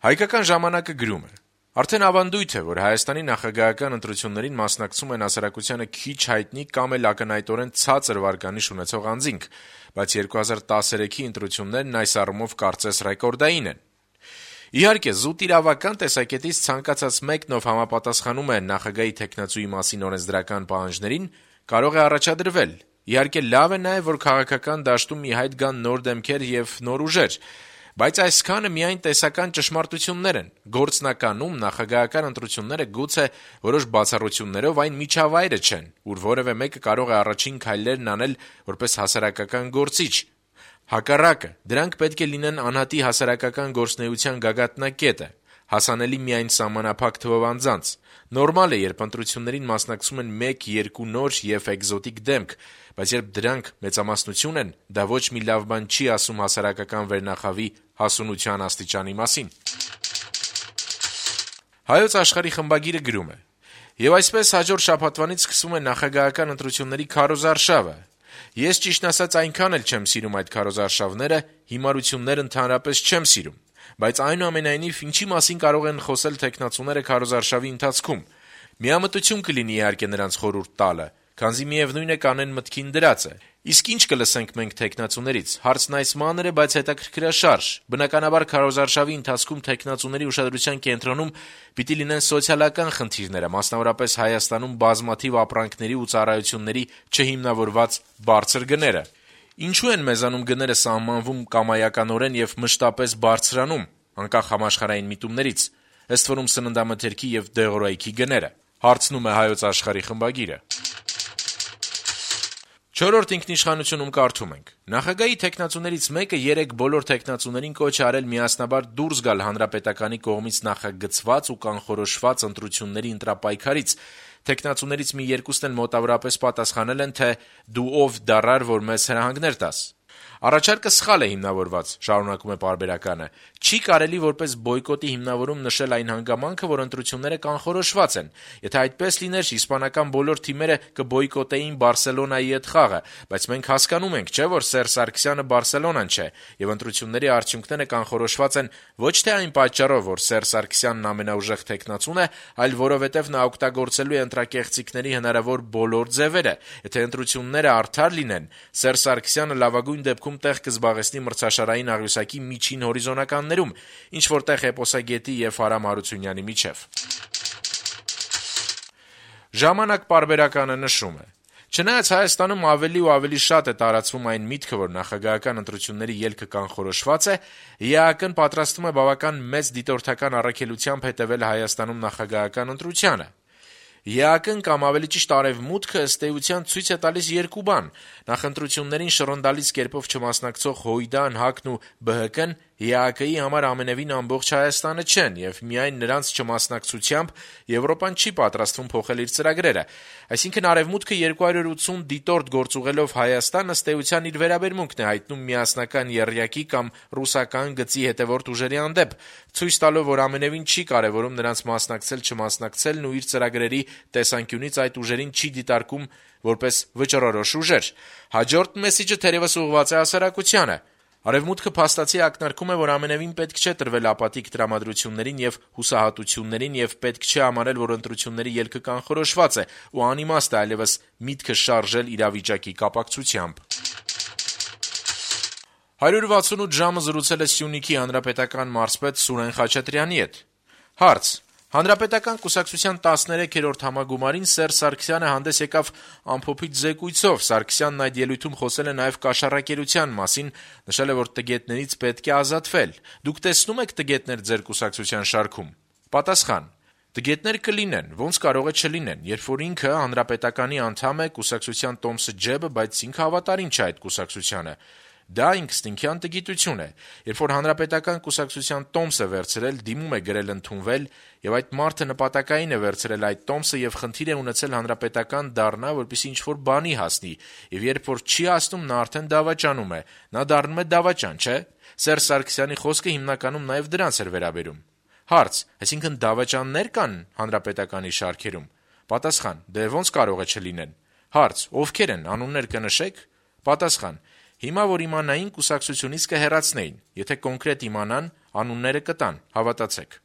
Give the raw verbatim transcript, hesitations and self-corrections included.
Հայկական ժամանակը գրում է. Արդեն ավանդույթ է, որ Հայաստանի նախագահական ընտրություններին մասնակցում են հասարակությանը քիչ հայտնի կամ էլ ակնհայտորեն ցածր վարկանիշ ունեցող անձինք, բայց երկու հազար տասներեքի ընտրություններն այս առումով կարծես ռեկորդային են։ Իհարկե, զուտ իրավական տեսակետից ցանկացած մեկն, ով համապատասխանում է նախագահի թեկնածուի մասին օրենսդրական պահանջներին, կարող է առաջադրվել։ Իհարկե, լավ է նաև, որ քաղաքական դաշտում մի հայտ գան նոր դեմքեր եւ նոր ուժեր, բայց այսքանը միայն տեսական ճշմարտություններ են։ Գործնականում նախագահական ընտրությունները գուցե որոշ բացառություններով այն միջավայրը չեն, ուր որևէ մեկը կարող է առաջին քայլերն անել որպես հասարակական գործիչ։ Հակառակը, դրանք պետք է լինեն անհատի հասարակական գործունեության գագաթնակետը, հասանելի միայն սահմանափակ թվով անձանց։ Նորմալ է, երբ ընտրություններին մասնակցում են մեկ-երկու նոր եւ էկզոտիկ դեմք, բայց երբ դրանք մեծամասնություն են, դա ոչ մի լավ բան չի ասում հասարակական վերնախավի հասունության աստիճանի մասին։ Հայոց Աշխարհի խմբագիրը գրում է. «Եվ այսպես հաջորդ շաբաթվանից սկսվում է նախագահական ընտրությունների քարոզարշավը։ Ես ճիշտն ասած այնքան էլ չեմ սիրում այդ քարոզարշավները, հիմարություններ ընդհանրապես չեմ սիրում, բայց այնուամենայնիվ ինչի մասին կարող են խոսել թեկնածուները քարոզարշավի ընթացքում։ Միամտություն կլինի իհարկե նրանց խորհուրդ տալը, քանզի միևնույն է կանեն մտքին դրած է։ Իսկ ինչ կլսենք մենք թեկնածուներից, հարցն այս մանր է, բայց հետաքրքրաշարժ։ Բնականաբար քարոզարշավի ընթացքում թեկնածուների ուշադրության կենտրոնում պիտի լինեն սոցիալական խնդիրները, մասնավորապես Հայաստանում բազմաթիվ ապրանքների ու ծառայությունների չհիմնավորված բարձր գները։ Ինչու են մեզանում գները սահմանվում կամայականորեն եւ մշտապես բարձրանում, անկախ համաշխարհային միտումներից, ըստ որում սննդամթերքի եւ դեղորայքի գները, հարցնում է Հայոց Աշխարհի խմբագիրը։ Չորրորդ ինքնիշխանությունում կարդում ենք. Նախագահի թեկնածուներից մեկը երեք բոլոր թեկնածուներին կոչ է արել միասնաբար դուրս գալ հանրապետականի կողմից նախագծված ու կանխորոշված ընտրությունների ընտրապայքարից։ Թեկնածուներից մի երկուսն էլ մոտավորապես պատասխանել են, թե դու ով դառար, որ մեզ հրահանգներ տաս։ Առաջարկը սխալ է հիմնավորված, շարունակում է պարբերականը։ Չի կարելի որպես բոյկոտի հիմնավորում նշել այն հանգամանքը, որ ընտրությունները կանխորոշված են։ Եթե այդպես լիներ, իսպանական բոլոր թիմերը կբոյկոտեին Բարսելոնայի հետ խաղը, բայց մենք հասկանում ենք, չէ՞, որ Սերժ Սարգսյանը Բարսելոնան չէ, եւ ընտրությունների արդյունքները կանխորոշված են ոչ թե այն պատճառով, որ Սերժ Սարգսյանն ամենաուժեղ թեկնածուն է, այլ որովհետեւ նա օգտագործելու է ընտրակեղծիքների հնարավոր բոլոր ձևերը։ Եթե ընտրությունները արդար լինեն, Սերժ Սարգսյանը լավագույն դեպքում տեղ կզբաղեցնի մրցաշարային աղյուսակի միջին հորիզոնականներում, ինչ որտեղ Էպոսագետի եւ Արամ Հարությունյանի միջև։ Ժամանակ պարբերականը նշում է. Չնայած Հայաստանում ավելի ու ավելի շատ է տարածվում այն միտքը, որ նախագահական ընտրությունների ելքը կանխորոշված է, ԵԱՀԿ-ն պատրաստվում է բավական մեծ դիտորդական առաքելությամբ հետևել Հայաստանում նախագահական ընտրությանը։ ԵԱՀԿ-ն կամ ավելի ճիշտ Արևմուտքը ըստ էության ցույց է տալիս երկու բան. նախընտրություններին շռնդալից կերպով չմասնակցող ՀՅԴ-ն, ՀԱԿ-ն ու ԲՀԿ-ն ԵԱՀԿ-ի համար ամենևին ամբողջ Հայաստանը չեն, եւ միայն նրանց չմասնակցությամբ Եվրոպան չի պատրաստվում փոխել իր ծրագրերը։ Այսինքն Արևմուտքը երկու հարյուր ութսուն դիտորդ գործուղելով Հայաստան ըստ էության իր վերաբերմունքն է հայտնում միասնական եռյակի կամ ռուսական գծի հետևորդ ուժերի հանդեպ, ցույց տալով, որ ամենևին չի կարևորում նրանց մասնակցել-չմասնակցելն ու իր ծրագրերի տեսանկյունից այդ ուժերին չի դիտարկում որպես վճռորոշ ուժեր։ Հաջորդ մեսիջը թերևս ուղղված է հասարակությանը։ Արևմուտքը փաստացի ակնարկում է, որ ամենևին պետք չէ տրվել ապատիկ տրամադրություններին եւ հուսահատություններին եւ պետք չէ համարել, որ ընտրությունների ելքը կանխորոշված է ու անիմաստ է այլևս միտքը շարժել իրավիճակի կապակցությամբ։ հարյուր վաթսունութ ժամը զրուցել է Սյունիքի հանրապետական մարզպետ Սուրեն Խաչատրյանի հետ։ Հարց. Հանրապետական կուսակցության տասներեքերորդ համագումարին Սերժ Սարգսյանը հանդես եկավ ամփոփիչ զեկույցով։ Սարգսյանն այդ ելույթում խոսել է նաև կաշառակերության մասին, նշել է, որ տգետներից պետք է ազատվել։ Դուք տեսնո՞ւմ եք տգետներ ձեր կուսակցության շարքում։ Պատասխան. Տգետներ կլինեն, ոնց կարող է չլինեն, երբ որ ինքը հանրապետականի անդամ է, կուսակցության տոմսը ջեբը, բայց ինքը հավատարիմ չէ այդ կուսակցությանը։ Դա ինքնստինքյան տգիտություն է։ Երբ որ հանրապետական կուսակցության տոմս է վերցրել, դիմում է գրել ընդունվել, եւ այդ մարդը նպատակային է վերցրել այդ տոմսը եւ խնդիր է ունեցել հանրապետական դառնա, որպեսզի ինչ-որ բանի հասնի, եւ երբ որ չի հասնում, նա արդեն դավաճանում է։ Նա դառնում է դավաճան, չէ՞։ Սերժ Սարգսյանի խոսքը հիմնականում նաեւ դրանց էր վերաբերում։ Հարց. այսինքն դավաճաններ կան հանրապետականի շարքերում։ Պատասխան. դե ոնց կարող է չլինեն։ Հարց. ովքեր են, անուններ կնշեք։ Պատասխան. Հիմա որ իմանային, կուսակցությունից կհեռացնեին, եթե կոնկրետ իմանան, անունները կտան, հավատացեք: